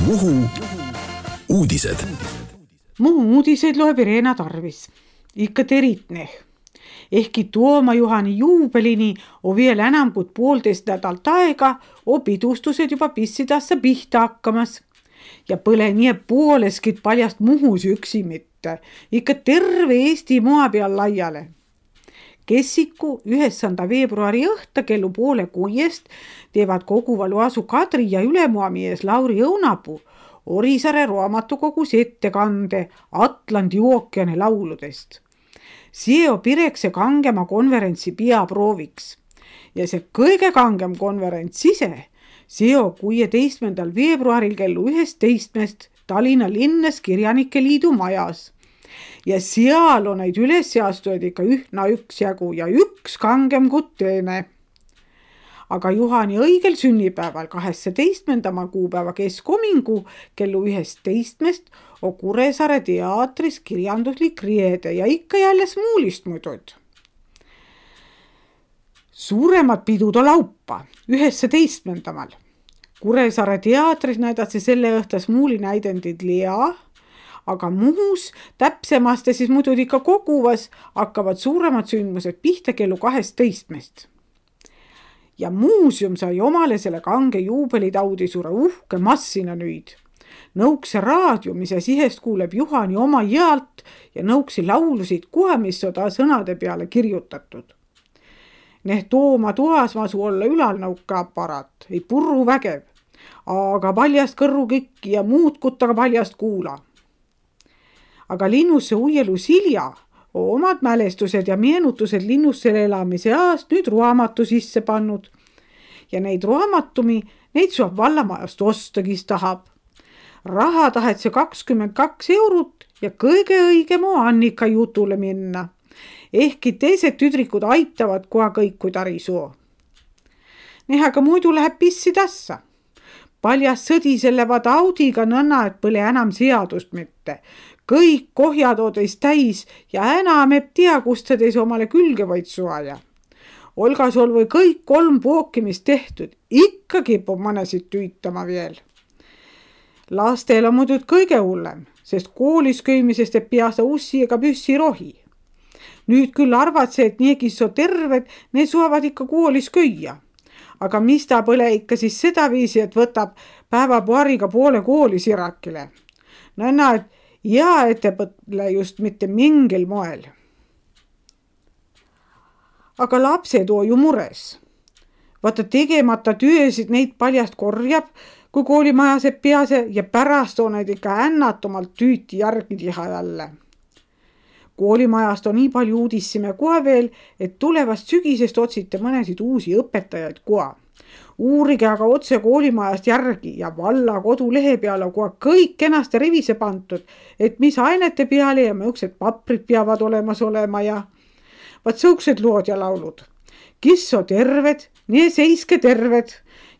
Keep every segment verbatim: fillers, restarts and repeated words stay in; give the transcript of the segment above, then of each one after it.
Muhu uudised. Muhu uudised loeb Irena Tarvis. Ikka teritneh. Ehkki Tuoma Juhani juubelini on vielä enam kui poolteist nädalt aega, on pidustused juba pissidassa pihta hakkamas. Ja põle nii pooleskit paljast Muhus üksi mitte. Ikka terve Eesti maa peal laiale. Kessiku üheksanda veebruari õhta kellu poole kuiest teevad koguvalu asu Kadri ja ülemuamies Lauri Õunapuu Orisaare raamatukogus ettekande Atlandi ookeani lauludest. See pireks see kangema konverentsi peaprooviks. Ja see kõige kangem konverents ise, see on kuueteistkümnendal veebruaril kellu üheteistkümnest Tallinna linnas Kirjanike Liidu majas. Ja seal on neid ülesseastujaid ikka ühna üks jagu ja üks kangem kui teine. Aga Juhani õigel sünnipäeval kaheksateistkümnendal kuupäeva keskomingu kellu üheteistkümnest on Kuressaare teatris kirjanduslik riede ja ikka jälle smuulist muidud. Suuremad pidud on laupa üheteistkümnendal. Kuressaare teatris näidati selle õhta smuuli näidendid Lea, aga Muhus täpsemast ja siis muidu ikka koguvas hakkavad suuremad sündmused pihta kellu kaheteistkümnest. Ja muuseum sai omale selle kange juubelitaudi suure uhke massina nüüd. Nõukse raadio, mis sihest kuuleb Juhani oma jäält ja nõuksi laulusid kuha, mis on ta sõnade peale kirjutatud. Neh Tooma toas masu olla ülal nõuka aparaat, ei purru vägev, aga paljast kõrru kikki ja muud kuttaga paljast kuula. Aga linnusse uielu Silja on omad mälestused ja meenutused linnussele elamise aast nüüd raamatu sisse pannud. Ja neid raamatumi, neid saab vallamajast osta, kes tahab. Raha tahet see kakskümmend kaks eurot ja kõige õigem on Annika jutule minna. Ehkki teised tüdrikud aitavad koha kõik, kui tari soo. Nehaga muidu läheb pissi tassa. Paljas sõdi selle vada audiga nõnna, et põle enam seadust mitte. Kõik kohjad odeis täis ja enam eb tea, kust sa teis omale külge vaid suaja. Olga sul või kõik kolm pookimist tehtud, ikka kipub mõnesid tüütama veel. Lastel on muidu kõige hullem, sest koolis köimisest ei pea sa ussi ega püssi rohi. Nüüd küll arvad see, et nii, kes on terved, need suavad ikka koolis köia. Aga mis ta põle ikka siis seda viisi, et võtab päeva paariga poole kooli sirakile. Nõnna, et ja ettepõtle just mitte mingil moel. Aga lapsed on ju mures. Vaata tegemata töösid neid paljast korjab, kui koolimajas ei pease ja pärast on neid ikka ännatumalt tüüti järgi tiha jälle. Koolimajast on nii palju uudissime kohe veel, et tulevast sügisest otsite mõnesid uusi õpetajaid koha. Uurige aga otse koolimajast järgi ja valla kodulehe peale kohe kõik kenasti rivise pantud, et mis ainete peale ja mõjuksed paprid peavad olemas olema ja vaat sõuksed lood ja laulud. Kis on terved, nii seiske terved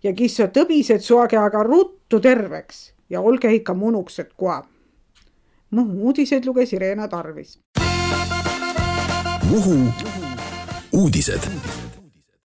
ja kis on tõbised soage aga ruttu terveks ja olge ikka munuksed koha. Muhu uudised luges Irena Tarvis. Muhu uudised.